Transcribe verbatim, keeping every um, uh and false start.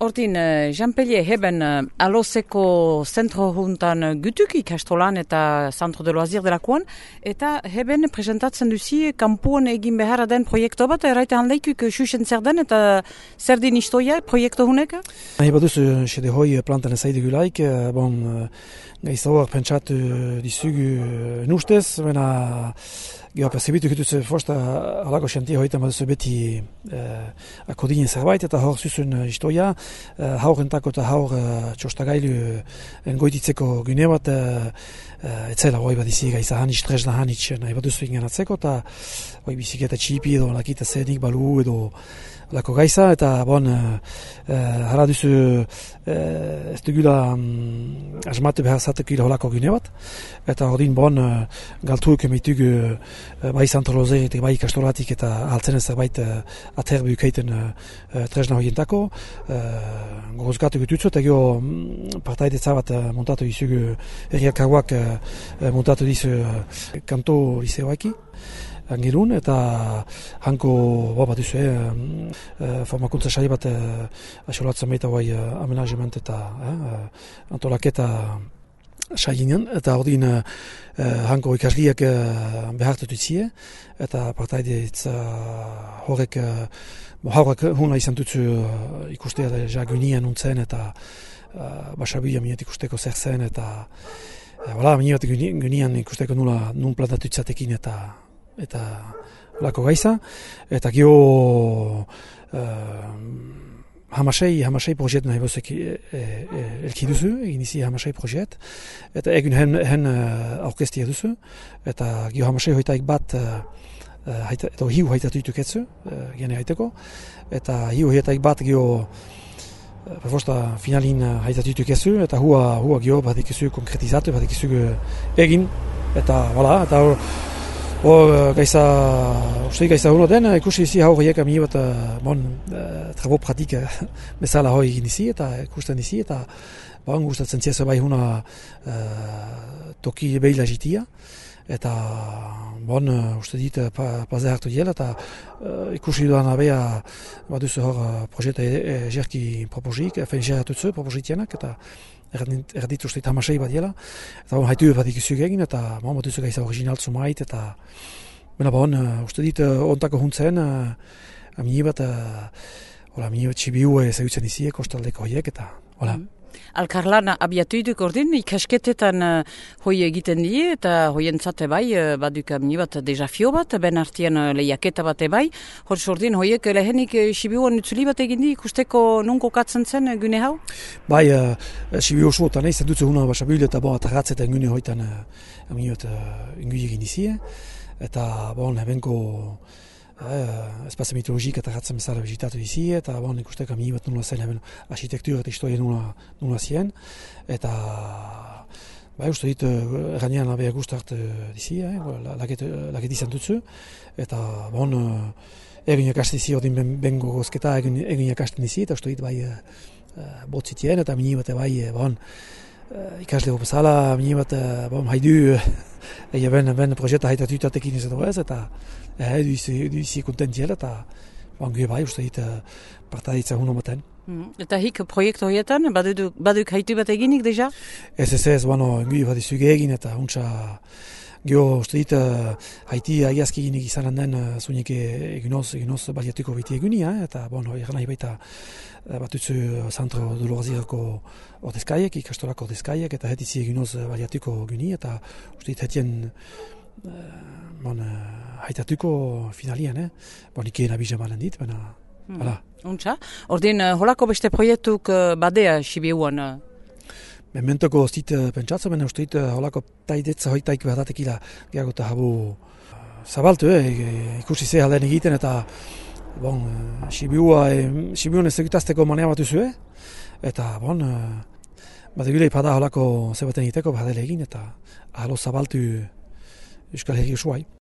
Ordin, Jean-Pellier heben alozeko zentro juntan gutuk ikastolan eta Centro de Loisir delakoan, eta heben presentatzen duzi kanpoan egin beharra den proiektu bat, erraite handeikuk xuxen zer den eta zer din istoia proiektu hunek? Nahi baduz, xede hoi plantan ezaidu gulaik, bon, gaizauak pentsatu dizugu nustez, bena Gero, perzebitu kituz fosta halako xantia hoitan baduzu beti eh, akodinen zerbait eta hor zuzun istoia, eh, haurentako eta haur eh, txostagailu engoititzeko gune bat eh, eh, etzela hoi bat izi gaiza hanitz, tresna hanitz nahi baduzu ingen atzeko eta hoi biziketa txipi edo lakita zenik balu edo lako gaiza eta bon eh, hala duzu eh, ez dugula um, asmatu behar zatekila holako gune bat eta ordin bon eh, galtuuk emitugu eh, bai Centro Loisir eta bai ikastolatik eta altzen zerbait uh, aterbi ukeiten uh, uh, tresna horientako uh, gorozkatu gututzu eta gero um, partaidetza bat uh, montatu dizugu herrialkaguak uh, montatu dizu uh, kanto liseoaki angelun eta hanko bo bat duzu uh, formakuntza saio bat uh, asolatzen baita bai uh, amenagement eta uh, antolaketa sainen, eta ordin uh, hanko ikasliak uh, behartu ditzie, eta partaidetza uh, horrek uh, haurak huna izan dutzu uh, ikustea da jagunian untzen, eta uh, basabila minet ikusteko zer zen, eta uh, wala, minet gunian ikusteko nula nun plantatu itzatekin, eta eta lako gaiza, eta gio uh, Hamasei, hamasei projet nahi bozek e, e, elki duzu, egin izi hamasei projet, eta egun hen, hen aurkestia duzu, eta gio hamasei hoitaik bat, uh, haita, edo hiu haitatu ituketzu, uh, gene haiteko, eta hiu hoitaik bat gio perfosta finalin haitatu ituketzu, eta hua, hua gio bat ikizu konkretizatu, bat ikizu egin, eta wala, eta Hor, gaiza, uste gaiza hono den, ikusi izi hau horiek ami bat, bon, trabo pratik bezala hori egin izi, eta ikusten izi, eta bon, gustatzen ziesa bai huna uh, toki behila jitia, eta bon, uste dit, pa, paze hartu diela, eta uh, ikusi duan abea baduzu hor uh, projeta jerki proposik, efen jerratutzu propositienak, eta erditu uste hamasei bat diela, eta bon, haitu bat ikusi egin, eta bon, baduzu gaiza original zumait, eta bena bon, uste dit, ontako huntzen, uh, amini bat, uh, amini bat txibiu ezagutzen izi, kostaldeko horiek, eta hola. Mm. Alkarlan abiatu iduk ordin, ikasketetan uh, hoi egiten die, eta hoien zate bai, uh, baduk amini bat desafio bat, ben artian uh, lehiaketa bat ebai, hor ordin hoiek lehenik uh, Sibiuan utzuli bat egin di, ikusteko nunko katzen zen uh, gune hau? Bai, uh, Sibiu oso eta nahi zendutzen huna basabil eta bon, atarratzetan gune hoitan uh, amini bat uh, ingu egin izie, eta bon, hebenko Uh, espazio mitologik eta ratzen bezala bizitatu dizi, eta bon, ikusteko amini bat nula zen hemen arkitektura eta historia nula, nula zien, eta bai, uste dit, uh, erranean abea guztart uh, dizi, eh, laket, laket izan dutzu, eta bon, uh, egin jakasten dizi, ordin ben, bengo gozketa egin, egin jakasten dizi, eta uste dit bai uh, botzitien, eta amini bat bai, bon, uh, ikaslego bezala, amini bat, uh, bon, haidu, Ega ben, ben proiekta haitatu itatekin izan ez, eta edu izi kontentiela, eta bangue bai, uste dit, partaditza huna maten. Mm. Eta hik proiektu horietan, baduk, baduk haitu bat eginik deja? Ez ez ez, bueno, engu bat izuge egin, eta untsa, geho, uste dit, haiti agiazki eginik izan handen, zunik eginoz, eginoz baliatuko biti egunia, eta, bueno, eran nahi baita, batutzu Centro de Loisirko ordezkaiek, ikastolako ordezkaiek, eta hetizi eginoz baliatuko guni, eta uste dit hetien bon, haitatuko finalian, eh? Bon, ikeen abizan balen dit, baina, hmm. hala. Untsa, ordin, holako beste proiektuk badea Sibiuan? Mementoko ez dit pentsatzen, baina uste dit holako taidetza hoitaik behatatekila gehiago eta habu zabaltu, eh? Ikusi ze alden egiten, eta bon, Sibiua, Sibiuan ez egitazteko manea bat duzu, eta bon, bat egulei pada holako zebaten egiteko, badele egin, eta ahalo zabaltu Euskal Herri osoai.